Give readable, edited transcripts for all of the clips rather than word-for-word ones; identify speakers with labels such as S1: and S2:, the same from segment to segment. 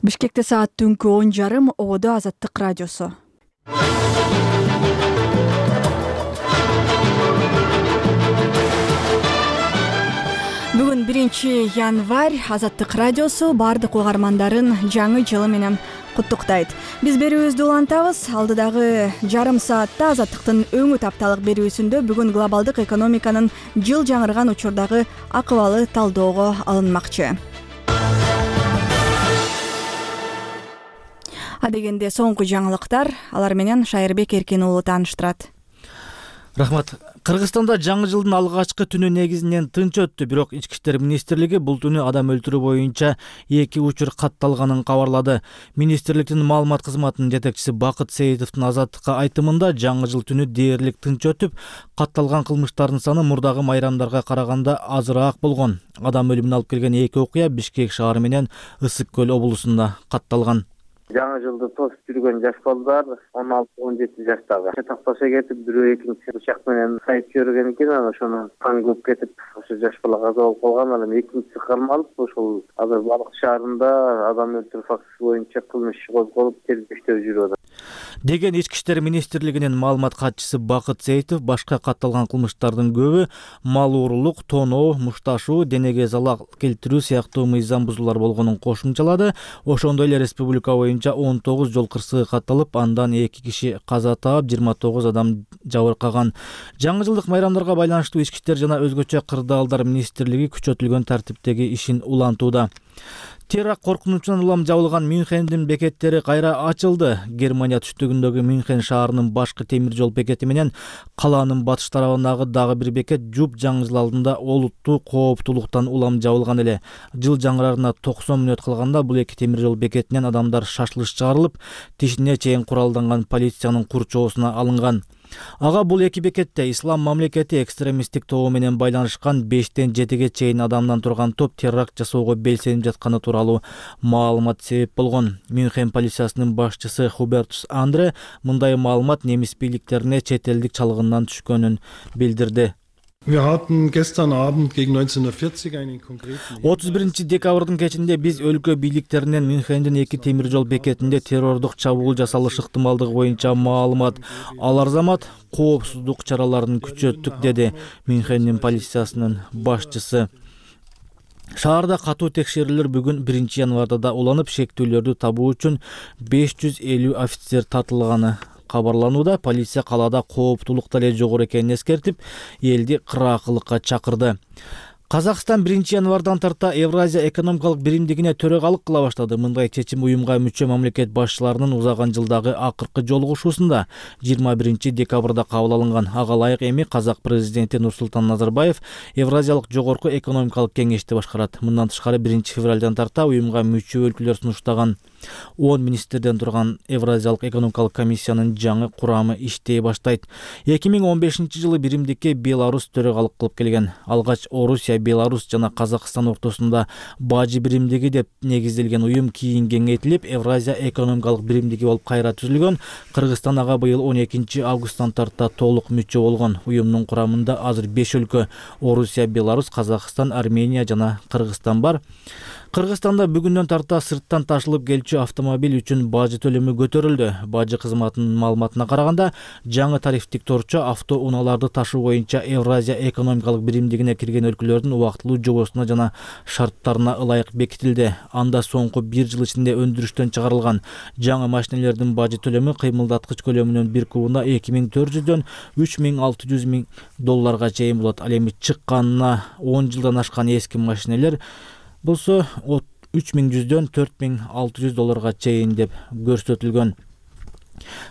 S1: Бишкекте саат түнкү 10:30 ободо Азаттык радиосу. Бүгүн 1 январь. Азаттык радиосу бардык угармандарын жаңы жылы менен куттуктайт. Биз берүүбүздү улантабыз. Алдыдагы жарым саатта Азаттыктын өңүт апталык берүүсүндө бүгүн глобалдык экономиканын жыл жаңырган учурдагы акыбалы талоого алынмакчы. Адегенде соңку жаңылыктар, алар менен Шайырбек Эркин уулу тааныштырат.
S2: Рахмат. Кыргызстанда жаңы жылдын алгачкы түнү негизинен тынч өттү, бирок Ички иштер министрлиги бул түнү адам өлтүрүү боюнча 2 учур катталганын кабарлады. Министрликтин маалымат кызматынын жетекчиси Бакыт Сейитовдун Азаттыкка айтымында жаңы жыл түнү дээрлик тынч өтүп, катталган кылмыштардын саны мурдагы майрамдарга караганда азыраак болгон. Адам өлүмүнө алып келген 2 окуя Бишкек шаары менен Ысык көл облусунда катталган.
S3: Жаңы жылды тосуп жүргөн жаш балдар 16-17 жаштагы чатак баша кетип, бирөө экинчи бычак менен сайып көргөн экен, анан ошону кан көп кетип, ошо жаш бала каза болуп калган. Анан экинчиси кармалып, ошол азыр Балык шаарында адам өлтүрүү фактысы боюнча кылмыш иши козголуп, тергөө жүрүп атат
S2: деген Ички иштер министрлигинин маалымат катчысы Бакыт Сейитов. Башка катталган кылмыштардын көбү мал уурулук, тоноо, мушташуу, денеге залал келтирүү сыяктуу мыйзам бузуулар болгонун кошумчалады. Ошондой эле республика боюнча 19 жол кырсыгы катталып, андан 2 киши каза таап, 29 адам жабыркаган. Жаңы жылдык майрамдарга байланыштуу Ички иштер жана өзгөчө кырдаалдар министрлиги күчөтүлгөн тартиптеги ишин улантууда. Теракт коркунучунан улам жабылган Мюнхендин бекеттери кайра ачылды. Германия түштүгүндөгү Мюнхен шаарынын башкы темир жол бекети менен калаанын батыш тарабындагы дагы бир бекет жуп жаңы жыл алдында олуттуу кооптуулуктан улам жабылган эле. Жыл жаңырарына 90 мүнөт калганда бул 2 темир жол бекетинен адамдар шашылыш чыгарылып, тишине чейин куралданган полициянын курчоосуна алынган. Ага бул 2 бекетте ислам мамлекети экстремисттик тобу менен байланышкан 5-тен 7-ге чейин адамдан турган топ теракт жасоого белсенип жатканы тууралуу маалымат себеп болгон. Мюнхен полициясынын башчысы Хубертус Андре мындай маалымат немис бийликтерине чет элдик чалгындан түшкөнүн билдирди. 31 декабрдын кечинде биз өлкө бийликтеринен Мюнхендин 2 темир жол бекетинде террордук чабуул жасалышы ыктымалдыгы боюнча маалымат алар замат коопсуздук чараларын күчөттүк, деди Мюнхендин полициясынын башчысы. Шаарда катуу текшерүүлөр бүгүн 1 январда да уланып, шектүүлөрдү табуу үчүн 550 офицер тартылганы кабарланууда. Полиция калаада кооптуулук дале жогору экенин эскертип, элди кыраакылыкка чакырды. Казакстан 1 январдан тарта Евразия экономикалык биримдигине төрагалык кыла баштады. Мындай чечим уюмга мүчө мамлекет башчыларынын узаган жылдагы акыркы жолугушуусунда 21 декабрда кабыл алынган. Ага ылайык эми казак президенти Нурсултан Назарбаев Евразиялык жогорку экономикалык кеңешти башкарат. Мындан тышкары 1 февралдан тарта уюмга мүчө өлкөлөр сунуштаган 10 министрден турган Евразиялык экономикалык комиссиянын жаңы курамы иштей баштайт. 2015 жылы биримдикке Беларусь төрагалык кылып келген. Алгач Орусия, Беларусь жана Казакстан ортосунда бажы биримдиги деп негизделген уюм кийин кеңейтилип, Евразия экономикалык биримдиги болуп кайра түзүлгөн. Кыргызстан ага быйыл 12 августтан тарта толук мүчө болгон. Уюмдун курамында азыр 5 өлкө — Орусия, Беларусь, Казакстан, Армения жана Кыргызстан бар. Кыргызстанда бүгүндөн тарта сырттан ташылып келчү автомобиль үчүн бажы төлөмү көтөрүлдү. Бажы кызматынын маалыматына караганда, жаңы тарифтик торчо авто унааларды ташуу боюнча Евразия экономикалык биримдигине кирген өлкөлөрдүн убактылуу жобосуна жана шарттарына ылайык бекитилди. Анда соңку 1 жыл ичинде өндүрүштөн чыгарылган жаңы машинелердин бажы төлөмү кыймылдаткыч көлөмүнүн 1 кубуна 2400дөн 3600 миң долларга чейин болот. Ал эми чыкканына 10 жылдан ашкан эски машинелер болсо 3100дөн 4600 долларга чейин деп көрсөтүлгөн.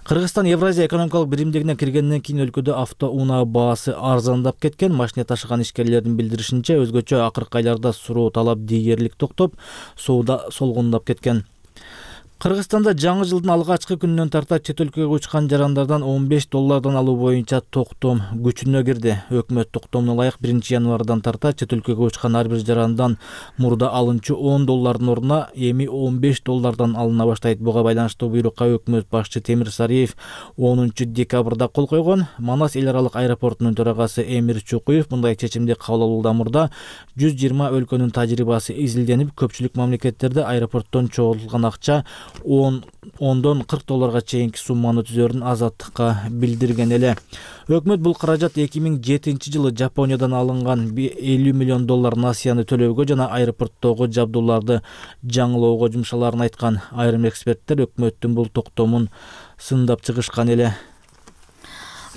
S2: Кыргызстан Евразия экономикалык биримдигине киргенден кийин өлкөдө авто унаа баасы арзандап кеткен. Машина ташыган ишкерлердин билдиришинче, өзгөчө акыркы айларда суроо талап дээрлик токтоп, сууда солгундап кеткен. Кыргызстанда жаңы жылдын алгачкы күнүнөн тарта чет өлкөгө учкан жарандардан $15 алуу боюнча токтом күчүнө кирди. Өкмөт токтомуна ылайык 1-январдан тарта чет өлкөгө учкан ар бир жарандан мурда алынчу $10 ордуна эми $15 алына баштайт. Буга байланыштуу буйрукка өкмөт башчы Темир Сариев 10-декабрда кол койгон. Манас эл аралык аэропортунун төрагасы Эмир Чукуев мындай чечимди кабыл алуудан мурда 120 өлкөнүн тажрыйбасы изилденип, көпчүлүк мамлекеттерде аэропорттон чогултулган акча $10-40 чейинки сумманы түзөрүн Азаттыкка билдирген эле. Өкмөт бул каражат 2007 жылы Жапониядан алынган $50 миллион насыяны төлөөгө жана аэропорттогу жабдууларды жаңылоого жумшаларын айткан. Айрым эксперттер өкмөттүн бул токтомун сындап чыгышкан эле.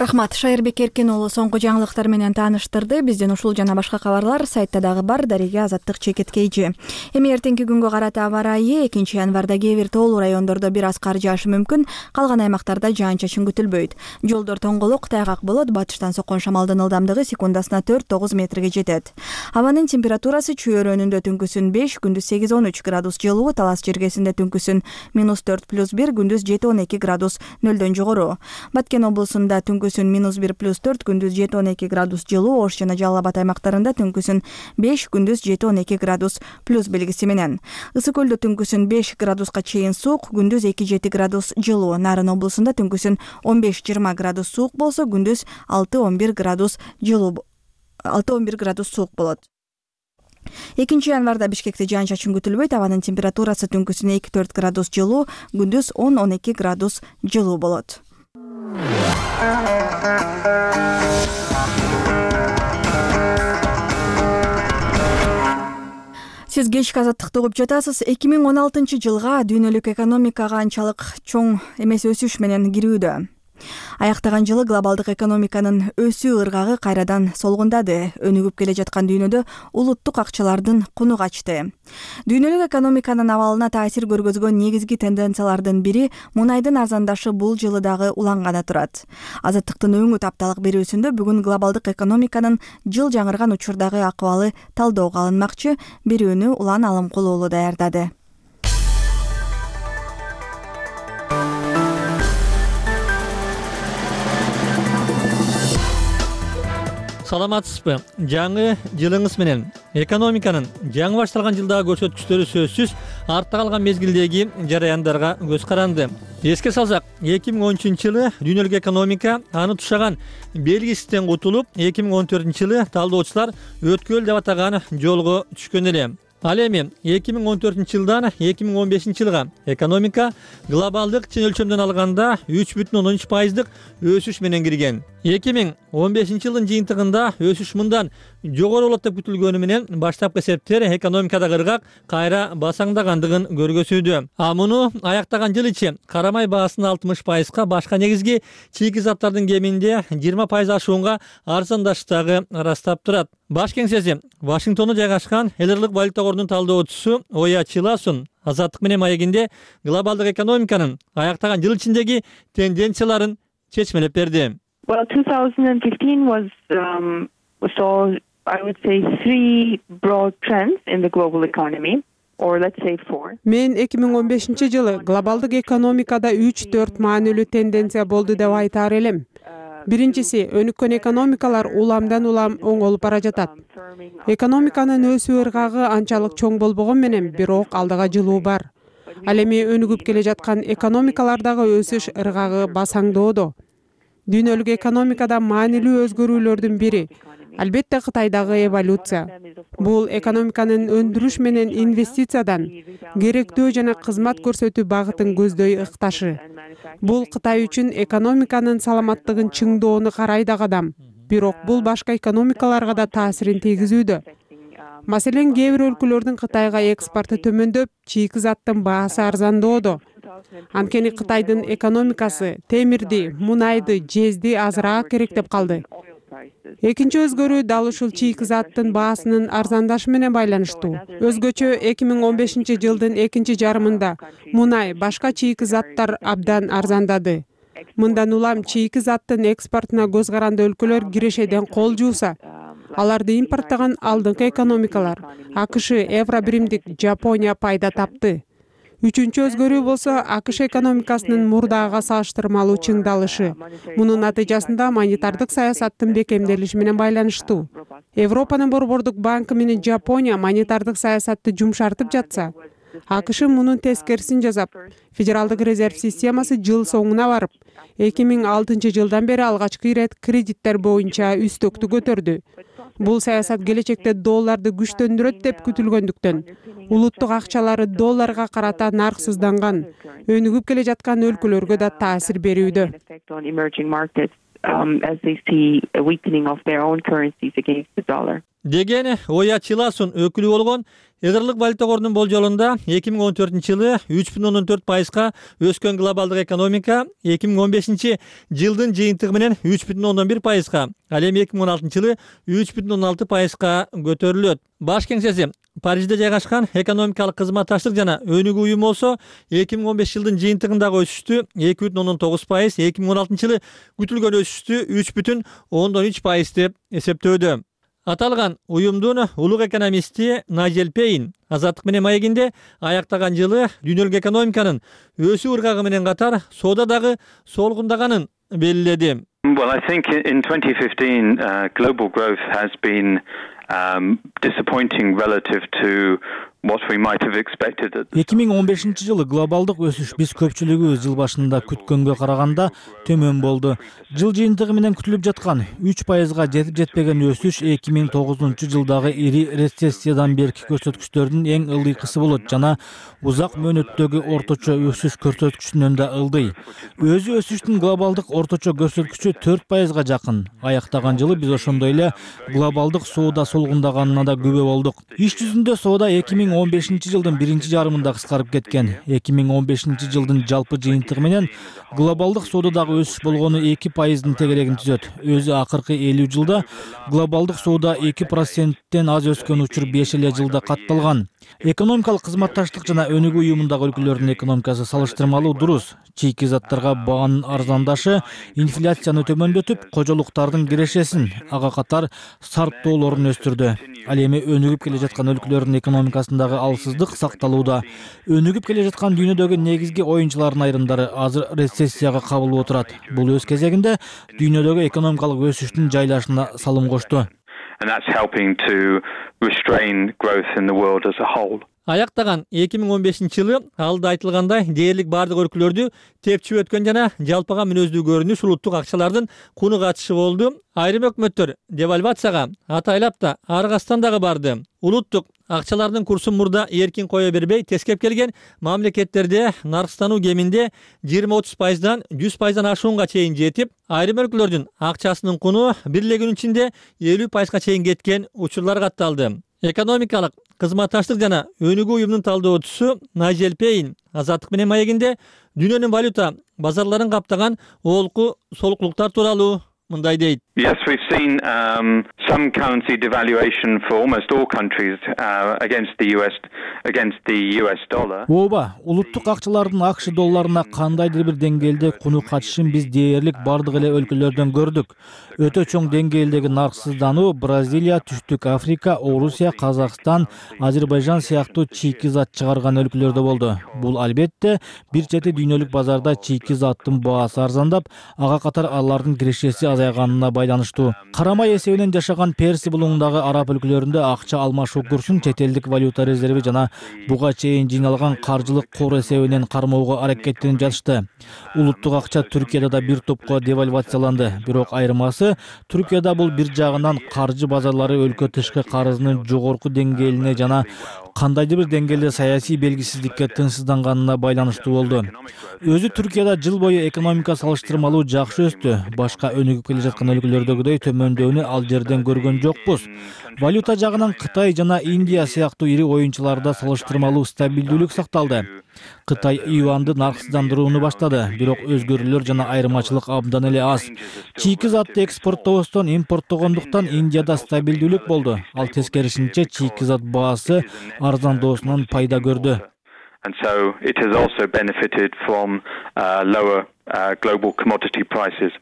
S1: Рахмат, Шайырбек Эркин уулу соңку жаңылыктар менен тааныштырды. Бизден ушул жана башка кабарлар сайтта дагы бар. Дареге Азаттык чекиткейчи. Эми эртеңки күнгө карата аба ырайы 2-январда кээ бир тоолуу райондордо бир аз кар жаашы мүмкүн. Калган аймактарда жаан-чачын күтүлбөйт. Жолдор тоңголок, тайгак болот. Батыштан соккон шамалдын ылдамдыгы секундасына 4-9 метрге жетет. Абанын температурасы чөйрөнүндө түнкүсүн 5, күндүз 8-13 градус жылуу, Талас жергесинде түнкүсүн -4+1, күндүз 7-12 градус нөлдөн жогору. Баткен облусунда түнкүсүн -1+4, күндүз 7-12 градус жылуу, Ош жана Жалал Абад аймактарында түнкүсүн 5, күндүз 7-12 градус плюс белгиси менен. Ысык көлдө түнкүсүн 5 градуска чейин суук, күндүз 2-7 градус жылуу. Нарын облусунда түнкүсүн 15-20 градус суук болсо, күндүз 6-11 градус жылуу, 6-11 градус суук болот. 2-январда Бишкекте жаан-чачын күтүлбөйт. Абанын температурасы түнкүсүн 2-4 градус жылуу, күндүз 10-12 градус жылуу болот. Сиз кечки Азаттыкты угуп жатасыз. 2016 жылга дүйнөлүк экономикага анчалык чоң эмес өсүш менен кирүүдө. Аяктаган жылы глобалдык экономиканын өсүү ыргагы кайрадан солгундады. Өнүгүп келе жаткан дүйнөдө улуттук акчалардын куну качты. Дүйнөлүк экономиканын абалына таасир көргөзгөн негизги тенденциялардын бири мунайдын арзандашы бул жылы дагы уланганы турат. Азаттыктын өңү тапталык берүүсүндө бүгүн глобалдык экономиканын жыл жаңырган учурдагы акыбалы талоого алынмакчы. Берүүнү Улан Алымкул уулу даярдады.
S4: Саламатсызбы? Жаңы жылыңыз менен. Экономиканын жаңы башталган жылдагы көрсөткүчтөрү сөзсүз артта калган мезгилдеги жараяндарга көз каранды. Эске салсак, 2013 жылы дүйнөлүк экономика аны тушаган белгисизден кутулуп, 2014 жылы талдоочулар өткөл деп атаган жолго түшкөн эле. Ал эми 2014 жылдан 2015 жылга экономика глобалдык чын өлчөмдөн алганда 3,13% өсүш менен кирген. 2015 жылдын жыйынтыгында өсүш мындан жогору болот деп күтүлгөнү менен баштапкы эсептер экономикадагы ыргак кайра басаңдагандыгын көргөзүүдө. А муну аяктаган жыл ичи карамай баасынын 60%га, башка негизги чийки заттардын кеминде 20% ашуунга арзандаштыгы ырастап турат. Баш кеңсеси Вашингтондо жайгашкан эл аралык валюта корунун талдоочусу Оя Чиласун Азаттык менен маегинде глобалдык экономиканын аяктаган жыл ичиндеги тенденцияларын чечмелеп берди.
S5: Well, 2015 was so I would say 3 broad trends in the global economy, or let's say 4.
S6: Мен 2015 жылы глобалдык экономикада 3-4 маанилүү тенденция болду деп айтаар элем. Биринчиси, өнүккөн экономикалар уламдан улам оңолуп бара жатат. Экономиканын өсүү ыргагы анчалык чоң болбогон менен, бирок алдыга жылуу бар. Ал эми өнүгүп келе жаткан экономикалардагы өсүш ыргагы басаңдоодо. Дүйнөлүк экономикада маанилүү өзгөрүүлөрдүн бири албетте Кытайдагы эволюция. Бул экономиканын өндүрүш менен инвестициядан керектөө жана кызмат көрсөтүү багытын көздөй ыкташы. Бул Кытай үчүн экономиканын саламаттыгын чыңдоону карайт адам. Бирок бул башка экономикаларга да таасирин тийгизүүдө. Маселен, кээ бир өлкөлөрдүн Кытайга экспорты төмөндөп, чийки заттын баасы арзандоодо. Анткени Кытайдын экономикасы темирди, мунайды, жезди азыраак керектеп калды. Экинчи өзгөрүү дал ушул чийки заттын баасынын арзандашы менен байланыштуу. Өзгөчө 2015 жылдын экинчи жарымында мунай, башка чийки заттар абдан арзандады. Мындан улам чийки заттын экспортуна көз каранды өлкөлөр кирешеден кол жууса, аларды импорттогон алдыңкы экономикалар АКШ, Евробиримдик Жапония пайда тапты. Үчүнчү өзгөрүү болсо АКШ экономикасынын мурдагыга салыштырмалуу чыңдалышы. Мунун натыйжасында монетардык саясаттын бекемделиши менен байланыштуу. Европанын Борбордук банкы менен Жапония монетардык саясатты жумшартып жатса, АКШ мунун тескерисин жасап, Федералдык резерв системасы жыл соңуна барып, 2006 жылдан бери алгачкы ирет кредиттер боюнча үстөктү көтөрдү. Бул саясат келечекте долларды күчтөндүрөт деп күтүлгөндүктөн, улуттук акчалары долларга карата нарксызданган, өнүгүп келе жаткан өлкөлөргө да таасир берүүдө.
S4: Деген Оя Чиласун өкүлү болгон Эдерлик валюта корунун болжолунда 2014-жылы 3,14%га өскөн глобалдык экономика 2015 жылдын жыйынтыгы менен 3,11%га, ал эми 2016-жылы 3,16%га көтөрүлөт. Баш кеңсеси Парижде жайгашкан экономикалык кызматташтык жана өнүгүү уюму болсо 2015 жылдын жыйынтыгындагы өсүштү 2,9%, 2016-жылы күтүлгөн өсүштү 3,3% деп эсептөөдө. Аталган уюмдун улук экономисти Найджел Пейн Азаттык менен маегинде аяктаган жылы дүйнөлүк экономиканын өсүү ыргагы менен катар соода дагы солгундаганын белгиледи.
S7: Well, I think in 2015 global growth has been disappointing relative to what we might have expected.
S2: 2015 жылы глобалдык өсүш биз көпчүлүгүбүз жыл башында күткөнгө караганда төмөн болду. Жыл жыйынтыгы менен күтүлүп жаткан 3%га жетип жетпеген өсүш 2009 жылдагы ири рецессиядан берки көрсөткүчтөрдүн эң ылдыйкысы болот жана узак мөөнөттөгү орточо өсүш көрсөткүчүнөн да ылдый. Өзү өсүштүн глобалдык орточо көрсөткүчү 4%га жакын. Аяктаган жылы биз ошондой эле глобалдык соода солгундаганына да күбө болдук. Иш жүзүндө соода 2015 жылдын биринчи жарымында кыскарып кеткен. 2015 жылдын жалпы жыйынтыгы менен глобалдык соодадагы өсүш болгону 2%дын тегерегин түзөт. Өзү акыркы 50 жылда глобалдык соода 2%тен аз өскөн учур 5 эле жылда катталган. Экономикалык кызматташтык жана өнүгүү уюмундагы өлкөлөрдүн экономикасы салыштырмалуу дурус. Чийки заттарга баанын арзандашы инфляцияны төмөндөтүп, кожолуктардын кирешесин, ага катар сарптоолорун өстүрдү. Ал эми өнүгүп келе жаткан өлкөлөрдүн экономикасындагы алсыздык сакталууда. Өнүгүп келе жаткан дүйнөдөгү негизги оюнчулардын айрымдары азыр рецессияга кабылып отурат. Бул өз кезегинде дүйнөдөгү экономикалык өсүштүн жайлашына салым кошту.
S7: And that's helping to restrain growth in the world as a whole.
S4: Аяктаган 2015 жылы алда айтылгандай дээрлик бардык өлкөлөрдү тепчип өткөн жана жалпыга мүнөздүү көрүнүш улуттук акчалардын куну катышы болду. Айрым өкмөттөр девальвацияга атайлап да аргастан дагы барды. Улуттук акчалардын курсун мурда эркин кое бербей, тескеп келген мамлекеттерде наркстануу кеминде 20-30%дан 100%дан ашуунга чейин жетип, айрым өлкөлөрдүн акчасынын куну бир эле күнүн ичинде 50%га чейин кеткен учурлар катталды. Экономикалык кызматташтык жана өнүгүү уюмунун талдоочусу Найджел Пейн Азаттык менен маегинде дүйнөнүн валюта базарларын каптаган олку солуклуктар тууралуу мындай дейт.
S7: Yes, we've seen some currency devaluation for almost all countries against the US dollar.
S2: Ооба, улуттук акчалардын АКШ долларына кандайдыр бир деңгээлде куну качышын биз дээрлик бардык эле өлкөлөрдөн көрдүк. Өтө чоң деңгээлдеги нарксыздануу Бразилия, Түштүк Африка, Орусия, Казакстан, Азербайжан сыяктуу чийки зат чыгарган өлкөлөрдө болду. Бул албетте бир чети дүйнөлүк базарда чийки заттын баасы арзандап, ага катар алардын кирешеси азайганына байланыштуу. Карамай эсебинен жашаган Перси булуңундагы араб өлкөлөрүндө акча алмашуу курсун чет элдик валюта резерви жана буга чейин жыйналган каржылык кор эсебинен кармоого аракеттенип жатышты. Улуттук акча Түркияда да бир топко девальвацияланды. Бирок айырмасы Түркияда бул бир жагынан каржы базарлары өлкө тышкы карызынын жогорку деңгээлине жана кандайдыр бир деңгээлде саясий белгисиздикке тынчсызданганына байланыштуу болду. Өзү Түркияда жыл бою экономика салыштырмалуу жакшы өстү. Башка өнүгүп келе жаткан өлкөлөрдөгүдөй төмөндөөнү ал жерден көргөн жокпуз. Валюта жагынан Кытай жана Индия сыяктуу ири оюнчуларда салыштырмалуу стабилдүүлүк сакталды. Кытай юанды нарксыздандырууну баштады, бирок өзгөрүүлөр жана айырмачылык абдан эле аз. Чийки затты экспорттоосунан импорттогондуктан Индияда стабилдүүлүк болду. Ал тескерисинче чийки зат баасы арзандоосунан пайда көрдү.
S7: And so it has also benefited from lower global commodity prices.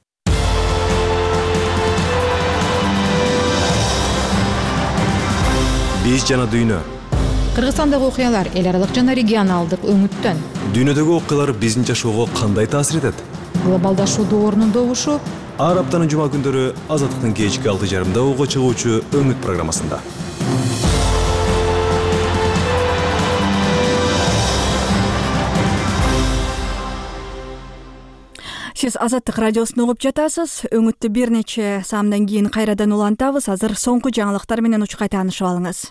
S8: Биз жана дүйнө Кыргызстандагы окуялар эл аралык жана регионалдык өңүттөн.
S9: Дүйнөдөгү окуялар биздин жашоого кандай таасир этет?
S8: Глобалдашуу доорунун добушу
S9: Ар аптанын жума күндөрү Азаттыктын кечки 6:30 угуга чыгуучу Өңүт программасында.
S1: Сиз Азаттык радиосун угуп жатасыз. Өңүттү бир нече саамдан кийин кайрадан улантабыз. Азыр соңку жаңылыктар менен учкай таанышып алыңыз.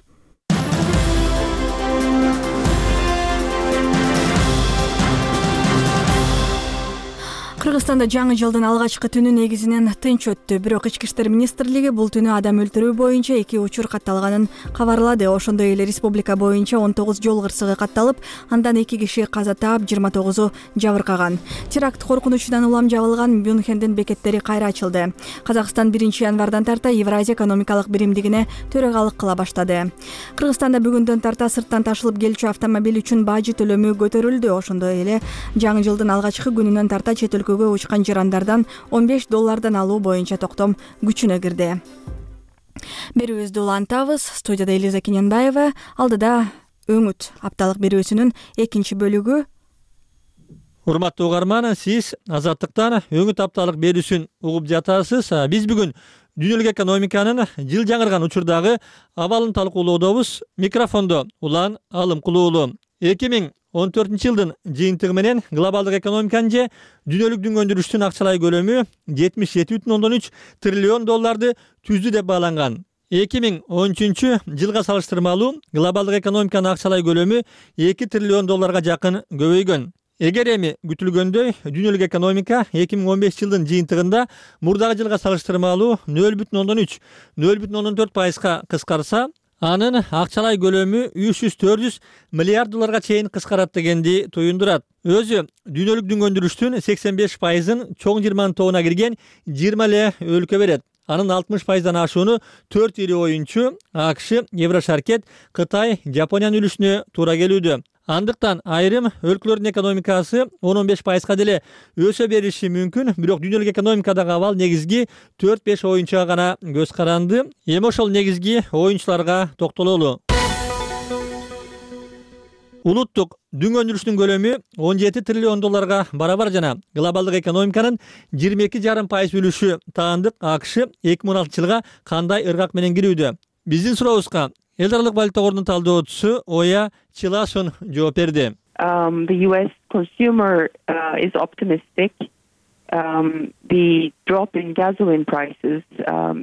S1: Кыргызстанда жаңы жылдын алгачкы түнү негизинен тынч өттү. Бирок Ички иштер министрлиги бул түнү адам өлтүрүү боюнча 2 учур катталганын кабарлады. Ошондой эле республика боюнча 19 жол кырсыгы катталып, андан 2 киши каза таап, 29-у жабыркаган. Теракт коркунучунан улам жабылган Мюнхендин бекеттери кайра ачылды. Казакстан 1-январдан тарта Евразия экономикалык биримдигине төрагалык кыла баштады. Кыргызстанда бүгүндөн тарта сырттан ташылып келүүчү автомобиль үчүн бажы төлөмү көтөрүлдү. Ошондой эле жаңы жылдын алгачкы күнүнөн тарта чет өлкөгө учкан жарандардан $15 алуу боюнча токтом күчүнө кирди. Берүүбүздү улантабыз. Студияда Элиза Кененбаева, алдыда Өңүт апталык берүүсүнүн экинчи бөлүгү.
S4: Урматтуу угарман, сиз Азаттыктан Өңүт апталык берүүсүн угуп жатасыз. Биз бүгүн дүйнөлүк экономиканын жыл жаңырган учурдагы абалын талкуулоодобуз. Микрофондо Улан Алымкулуулу. 2014-жылдын жыйынтыгы менен глобалдык экономиканын же дүйнөлүк дүнгөндүрүштүн акчалай көлөмү $77,3 триллион түздү деп бааланган. 2013-жылга салыштырмалуу глобалдык экономиканын акчалай көлөмү $2 триллион жакын көбөйгөн. Эгер эми күтүлгөндөй дүйнөлүк экономика 2015-жылдын жыйынтыгында мурдагы жылга салыштырмалуу 0,3-0,4% кыскарса, анын акчалай көлөмү $300-400 миллиард чейин кыскарат дегенди туюндурат. Өзү дүйнөлүк дүнгөндүрүштүн 85%-ын чоң 20 тобуна кирген 20 эле өлкө берет. Анын 60%-дан ашууну 4 ири оюнчу АКШ, Еврошаркет, Кытай, Жапониянын үлүшүнө туура келүүдө. Андыктан айрым өлкөлөрдүн экономикасы 10-15%га деле өсө бериши мүмкүн, бирок дүйнөлүк экономикадагы абал негизги 4-5 оюнчуга гана көз каранды. Эми ошол негизги оюнчуларга токтололу. Улуттук дүнгөндүрүштүн көлөмү $17 триллион барабар жана глобалдык экономиканын 22,5% үлүшү таандык АКШ 2016-жылга кандай ыргак менен кирүүдө? Биздин сурообузга эл аралык валюта корунун талдоочусу Оя Чиласун жооп берди.
S5: The US consumer is optimistic. The drop in gasoline prices.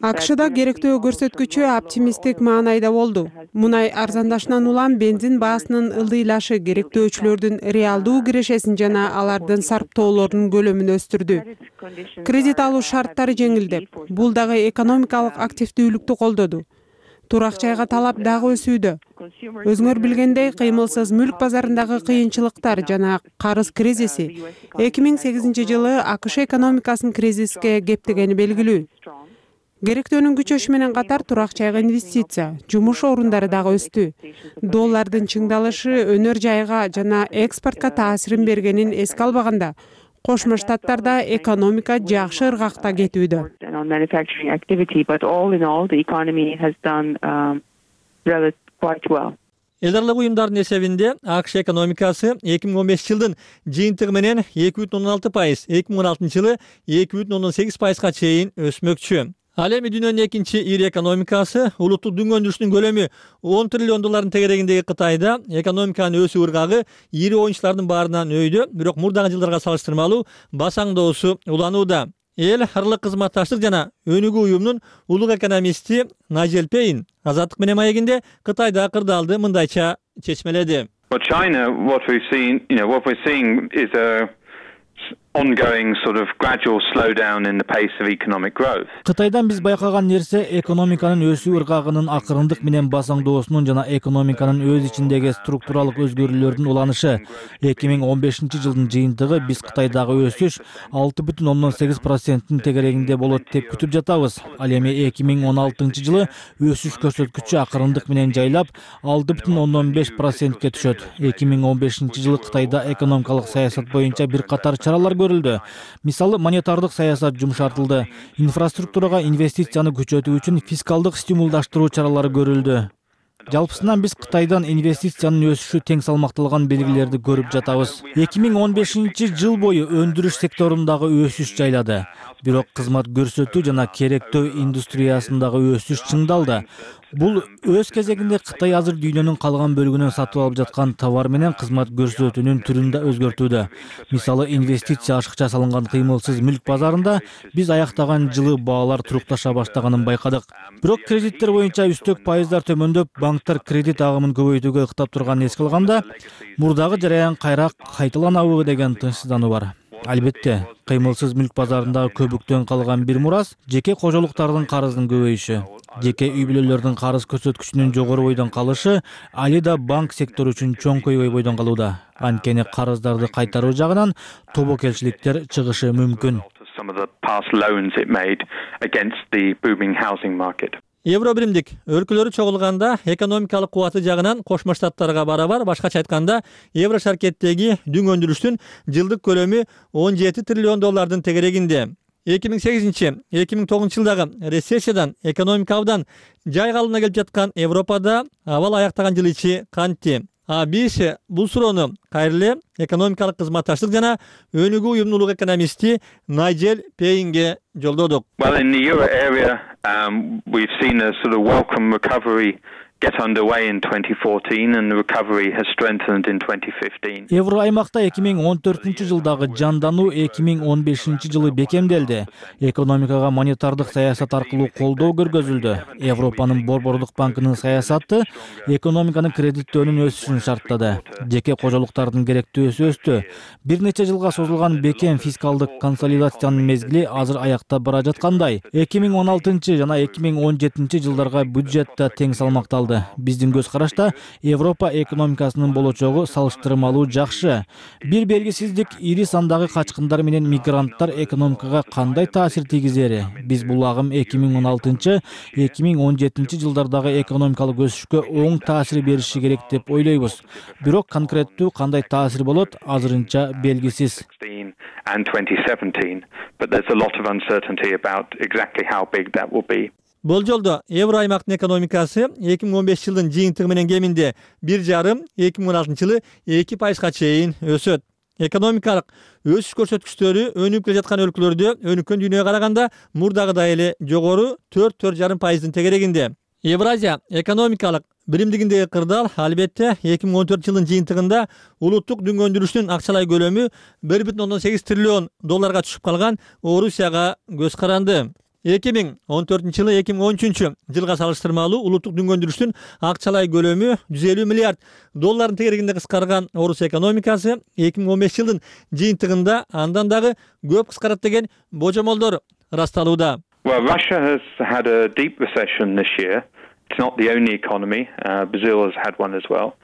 S6: АКШда керектөө көрсөткүчү оптимисттик маанайда болду. Мунай арзандашынан улам бензин баасынын ылдыйлашы керектөөчүлөрдүн реалдуу кирешесин жана алардын сарптоолорунун көлөмүн өстүрдү. Кредит алуу шарттары жеңилдеп, бул дагы экономикалык активдүүлүктү колдоду. Турак жайга талап дагы өсүүдө. Өзүңөр билгендей, кыймылсыз мүлк базарындагы кыйынчылыктар жана карыз кризиси 2008-жылы АКШ экономикасын кризиске кептегени белгилүү. Керектөөнүн күчөшү менен катар турак жайга инвестиция, жумуш орундары дагы өстү. Доллардын чыңдалышы өнөр жайга жана экспортко таасирин бергенин эске албаганда, Кошмо Штаттарда экономика жакшы ыргакта кетүүдө.
S4: Эл аралык уюмдардын эсебинде АКШ экономикасы 2015-жылдын жыйынтыгы менен 2,16%, 2016-жылы 2,18%га чейин өсмөкчү. Ал эми дүйнөнүн экинчи ири экономикасы улуттук дүнгөндүрүштүн көлөмү $10 триллион тегерегиндеги Кытайда экономиканын өсүү ыргагы ири оюнчулардын баарынан өйдө, бирок мурдагы жылдарга салыштырмалуу басаңдоосу уланууда. Эл аралык кызматташтык жана өнүгүү уюмунун улук экономисти Найджел Пейн Азаттык менен маегинде Кытайда кырдаалды мындайча чечмеледи.
S7: China, what we're seeing is a ongoing sort of gradual slowdown in the pace of economic growth.
S2: Кытайдан биз байкаган нерсе экономиканын өсүү ыргагынын акырындык менен басаңдоосунун жана экономиканын өз ичиндеги структуралык өзгөрүүлөрдүн уланышы. 2015-жылдын жыйынтыгы биз Кытайдагы өсүш 6,8%-тин тегерегинде болот деп күтүп жатабыз. Ал эми 2016-жылы өсүш көрсөткүчү акырындык менен жайлап 6,5%ке түшөт. 2015-жылы Кытайда экономикалык саясат боюнча бир катар чаралар көрүлдү. Мисалы, монетардык саясат жумшартылды. Инфраструктурага инвестицияны күчөтүү үчүн фискалдык стимулдаштыруу чаралары көрүлдү. Жалпысынан биз Кытайдан инвестициянын өсүшү тең салмакталган белгилерди көрүп жатабыз. 2015 жыл бою өндүрүш секторундагы өсүш жайлады. Бирок кызмат көрсөтүү жана керектөө индустриясындагы өсүш чыңдалды. Бул өз кезегинде Кытай азыр дүйнөнүн калган бөлүгүнөн сатып алып жаткан товар менен кызмат көрсөтүүнүн түрүн да өзгөртүүдө. Мисалы, инвестиция ашыкча салынган кыймылсыз мүлк базарында биз аяктаган жылы баалар турукташа баштаганын байкадык. Бирок кредиттер боюнча үстөк пайыздар төмөндөп, банктар кредит агымын көбөйтүүгө ыктап турганын эске алганда, мурдагы жараян кайра кайталанабы деген тынчсыздануу бар. Албетте, кыймылсыз мүлк базарындагы көбүктөн калган бир мурас жеке кожолуктардын карызынын көбөйүшү. Жеке үй бүлөлөрдүн карыз көрсөткүчүнүн жогору бойдон калышы али да банк сектору үчүн чоң көйгөй бойдон калууда. Анткени карыздарды кайтаруу жагынан тобокелчиликтер чыгышы мүмкүн.
S4: Евро биримдик өлкөлөрү чогулганда экономикалык кубаты жагынан Кошмо Штаттарга барабар, башкача айтканда, Евро шаркеттеги дүң өндүрүштүн жылдык көлөмү 17 триллион доллардын тегерегинде. 2008-2009 жылдагы рецессиядан, экономика абдан жайгалына келип жаткан Европада абал аяктаган жыл ичи кантти? Биз бул суроону кайрыле экономикалык кызматташтык жана өнүгүү уюмунун улуг экономисти Найджел Пейнге жолдодук.
S7: Well, in the euro area, we've seen a sort of welcome recovery get underway in 2014 and the recovery has strengthened in 2015.
S2: Евро аймакта 2014-жылдагы жандануу 2015-жылы бекемделди. Экономикага монетардык саясат аркылуу колдоо көргөзүлдү. Европанын Борбордук банкынын саясаты экономиканын кредиттөөнүн өсүшүн шарттады. Жеке кожолуктардын керектөөсү өстү. Бир нече жылга созулган бекем фискалдык консолидациянын мезгили азыр аяктап бара жаткандай. 2016 жана 2017 жылдарга бюджет да тең салмакталды. Биздин көз карашта Европа экономикасынын болочогу салыштырмалуу жакшы. Бир белгисиздик ири сандагы качкындар менен мигранттар экономикага кандай таасир тийгизери. Биз бул агым 2016-2017 жылдардагы экономикалык өсүшкө оң таасир бериши керек деп ойлойбуз. Бирок конкреттүү кандай таасир болот азырынча белгисиз.
S7: And 2017, but there's a lot of uncertainty about exactly how big that will be.
S4: Болжолдо Евро аймактын экономикасы 2015 жылдын жыйынтыгы менен кеминде 1,5, 2016 жылы 2% чейин өсөт. Экономикалык өсүш көрсөткүчтөрү өнүгүп келе жаткан өлкөлөрдө өнүккөн дүйнөгө караганда мурдагыдай эле жогору 4-4,5% тегерегинде. Евразия экономикалык биримдигиндеги кырдаал албетте 2014 жылдын жыйынтыгында улуттук дүң өндүрүштүн акчалай көлөмү 1,8 триллион долларга түшүп калган Орусияга көз каранды. 2014 жылы 2013 жылга салыштырмалуу улуттук дүң өндүрүштүн акчалай көлөмү 150 миллиард доллардын тегерегинде кыскарган Орусия экономикасы 2015 жылдын жыйынтыгында андан дагы көп кыскарат деген божомолдор расталууда.
S7: Well, Russia has had a deep recession this year. It's not the only economy. Brazil has had one as well.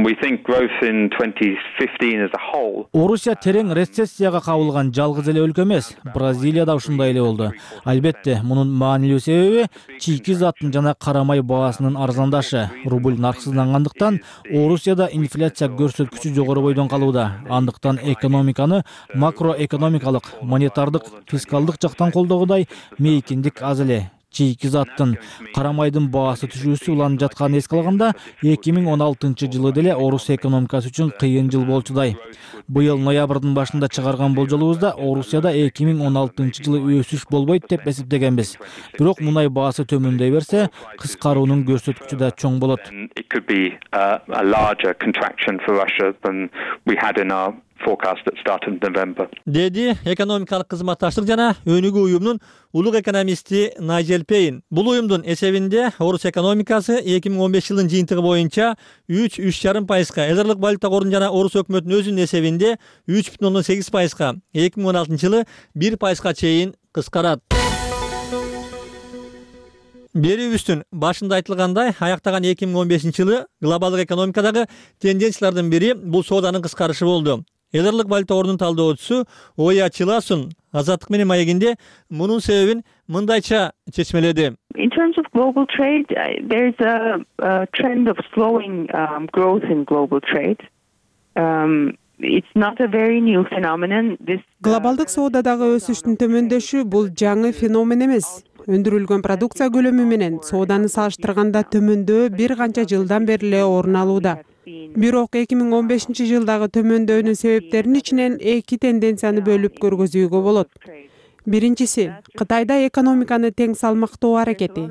S7: We think growth in 2015 as a whole.
S2: Орусия терең рецессияга кабылган жалгыз эле өлкө эмес. Бразилия да ушундай эле болду. Албетте, мунун маанилүү себеби чийки заттын жана карамай баасынын арзандашы. Рубль нарксыздангандыктан Орусияда инфляция көрсөткүчү жогору бойдон калууда. Андыктан экономиканы макроэкономикалык, монетардык, фискалдык жактан колдогудай мейкиндик аз эле. Чийки заттын, карамайдын баасы түшүүсү уланып жатканын эске алганда, 2016 жылы деле Орусия экономикасы үчүн кыйын жыл болчудай. Быйыл ноябрдын башында чыгарган болжолубузда Орусияда 2016 жылы өсүш болбойт деп эсептегенбиз. Бирок мунай баасы төмөндөй берсе, кыскаруунун көрсөткүчү да чоң болот.
S7: It could be a larger contraction for Russia than we had in our forecast at start of November.
S4: Деди экономикалык кызматташтык жана өнүгүү уюмунун улуг экономисти Найджел Пейн. Бул уюмдун эсебинде Орусия экономикасы 2015 жылдын жыйынтыгы боюнча 3,5%, Элдерлик валюта корунун жана Орус өкмөтүнүн өзүнүн эсебинде 3,8%, 2016 жылы 1% чейин кыскарат. Берүүбүздүн башында айтылгандай, аяктаган 2015 жылы глобалдык экономикадагы тенденциялардын бири бул сооданын кыскарышы болду. Элдерлик валюта корунун талдоочусу Оя Чиласун Азаттык менен маегинде мунун себебин мындайча чечмеледи.
S5: In terms of global trade, there's a trend of slowing growth in global trade. It's not a very new phenomenon.
S6: Глобалдык соодадагы өсүштүн төмөндөшү бул жаңы феномен эмес. өндүрүлгөн продукция көлөмү менен сооданы салыштырганда төмөндөө бир канча жылдан бери эле орун алууда. Бирок 2015-жылдагы төмөндөөнүн себептеринин ичинен эки тенденцияны бөлүп көргөзүүгө болот. Биринчиси, Кытайда экономиканы тең салмактоо аракети.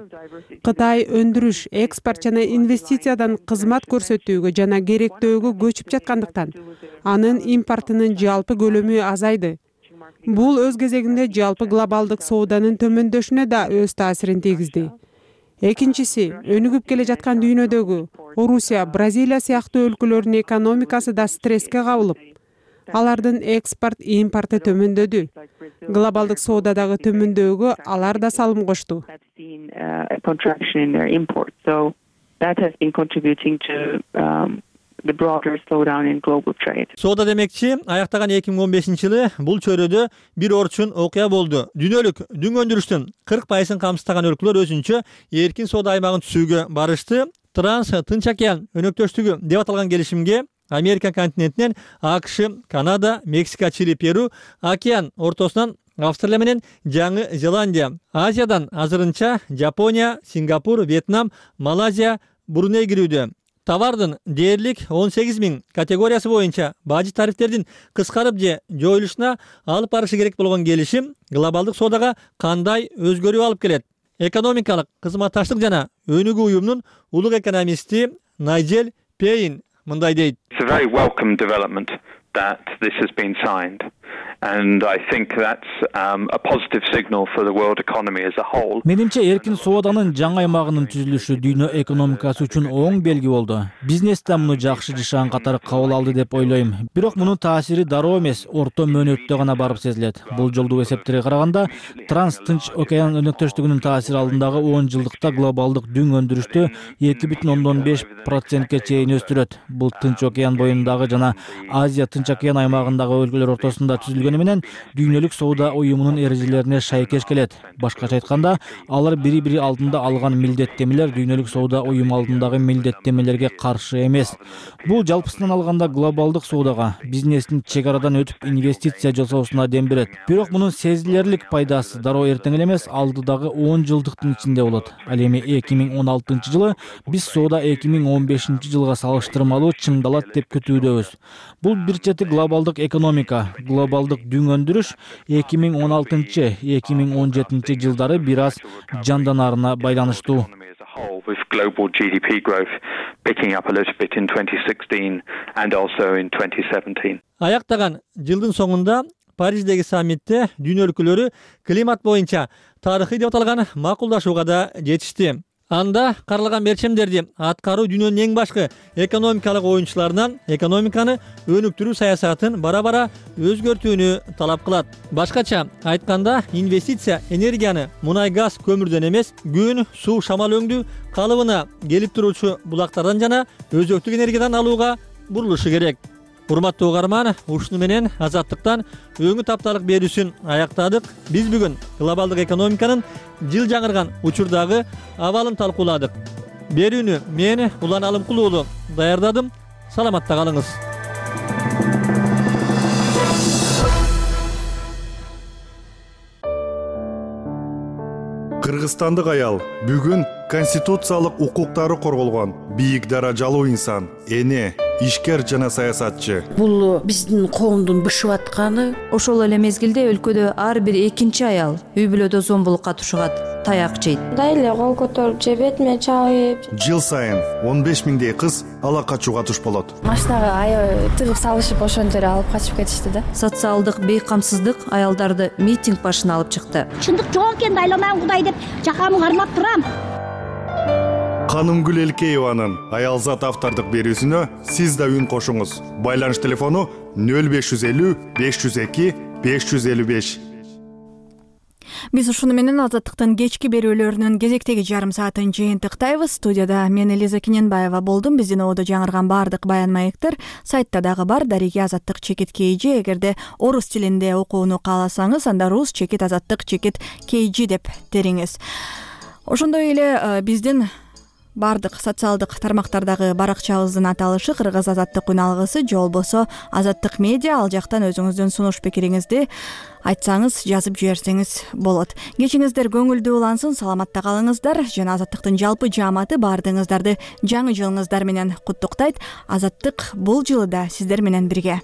S6: Кытай өндүрүш, экспорт жана инвестициядан кызмат көрсөтүүгө жана керектөөгө көчүп жаткандыктан анын импортунун жалпы көлөмү азайды. Бул өз кезегинде жалпы глобалдык сооданын төмөндөшүнө да өз таасирин тийгизди. Экинчиси, өнүгүп келе жаткан дүйнөдөгү Орусия, Бразилия сыяктуу өлкөлөрдүн экономикасы да стресске кабылып, алардын экспорт, импорты төмөндөдү. Глобалдык соодадагы төмөндөөгө алар да салым кошту.
S4: Соода демекчи, аяктаган 2015-жылы бул чөйрөдө бир орчун окуя болду. Дүйнөлүк дүң өндүрүштүн 40% камсыздаган өлкөлөр өзүнчө эркин соода аймагын түзүүгө барышты. Транс-Тынч океан өнөктөштүгү деп аталган келишимге Америка континентинен АКШ, Канада, Мексика, Чили, Перу, океан ортосунан Австралия менен Жаңы Зеландия, Азиядан азырынча Жапония, Сингапур, Вьетнам, Малайзия, Бруней кирүүдө. Товардын дээрлик 18 000 категориясы боюнча бажы тарифтердин кыскарып же жоюлушуна алып барышы керек болгон келишим глобалдык соодага кандай өзгөрүү алып келет? Экономикалык кызматташтык жана өнүгүү уюмунун улук экономисти Найджел Пейн мындай дейт.
S7: It's a very welcome development that this has been signed. And I think that's a positive signal for the world economy as a whole.
S2: Менимче эркин сооданын жаңы аймагынын түзүлүшү дүйнө экономикасы үчүн оң белги болду. Бизнес да муну жакшы жашаган катары кабыл алды деп ойлойм. Бирок мунун таасири дароо эмес, орто мөөнөттө гана барып сезилет. Бул жолдуу эсептерге караганда, Транс-Тынч океан өнөктөштүгүнүн таасири алдындагы 10 жылдыкта глобалдык дүң өндүрүштү 2,5% чейин өстүрөт. Бул Тынч океан боюндагы жана Азия Тынч океан аймагындагы өлкөлөр ортосунда түзүлгөн менен дүйнөлүк соода уюмунун эрежелерине шайкеш келет. Башкача айтканда, алар бири-бири алдында алган милдеттемелер дүйнөлүк соода уюму алдындагы милдеттемелерге каршы эмес. Бул жалпысынан алганда глобалдык соодага, бизнестин чек арадан өтүп инвестиция жасоосуна дем берет. Бирок мунун сезилерлик пайдасы дароо эртең эле эмес, алдыдагы 10 жылдыктын ичинде болот. Ал эми 2016-жылы биз соода 2015-жылга салыштырмалуу чыңдалат деп күтүүдөбүз. Бул бир чети глобалдык экономика, глобалдык дүң өндүрүш 2016-2017 жылдары бир аз жанданаарына байланыштуу.
S7: With global GDP growth picking up a little bit in 2016 and also in 2017.
S4: Аяктаган жылдын соңунда Париждеги саммитте дүйнө өлкөлөрү климат боюнча тарыхый деп аталган макулдашууга да жетишти. Анда каралган мерчемдерди аткаруу дүйнөнүн эң башкы экономикалык оюнчуларынан экономиканы өнүктүрүү саясатын бара-бара өзгөртүүнү талап кылат. Башкача айтканда, инвестиция энергияны мунай-газ көмүрдөн эмес, күн, суу, шамал өңдүү калыбына келип туруучу булактардан жана өзөктүк энергиядан алууга бурулушу керек. Урматтуу угарман, ушуну менен Азаттыктан өңү тапталык берүүсүн аяктадык. Биз бүгүн глобалдык экономиканын жыл жаңырган учурдагы абалын талкууладык. Берүүнү мен Улан Алымкул уулу даярдадым. Саламатта калыңыз.
S10: Кыргызстандык аял бүгүн конституциялык укуктары корголгон бийик даражалуу инсан, эне, ишкер жана саясатчы.
S11: Бул биздин коомдун бышып атканы.
S12: Ошол эле мезгилде өлкөдө ар бир экинчи аял үй бүлөдө зомбулукка тушугат, таяк жейт.
S13: Дайле кол көтөрүп же бетиме чабып.
S10: Жыл сайын 15 миңдей кыз ала качууга туш болот.
S13: Машинага аябай тыгып салышып ошентип алып качып кетишти да.
S12: Социалдык бейкамсыздык аялдарды митинг башына алып чыкты.
S14: Чындык жок экен, айланам Кудай деп жакамы кармап турам.
S10: Канымгүл Элкееванын аялзат автордук берүүсүнө сиз да үн кошуңуз. Байланыш телефону 0550 502 555.
S1: Биз ушуну менен Азаттыктын кечки берүүлөрүнүн кезектеги жарым саатын жыйынтыктайбыз. Студияда мен Элиза Кененбаева болдум. Биздин ободо жаңырган баардык баян маектер сайтта дагы бар. Дареги Азаттык чекит KG. Эгерде орус тилинде окууну кааласаңыз, анда рус чекит Азаттык чекит KG деп териңиз. Ошондой эле биздин баардык социалдык тармактардагы баракчабыздын аталышы Кыргыз Азаттык үн алгысы же болбосо Азаттык медиа. Ал жактан өзүңүздүн сунуш пикириңизди айтсаңыз, жазып жиберсеңиз болот. Кечиңиздер көңүлдүү улансын, саламатта калыңыздар. Жана Азаттыктын жалпы жааматы баардыгыңыздарды жаңы жылыңыздар менен куттуктайт. Азаттык бул жылы да сиздер менен бирге.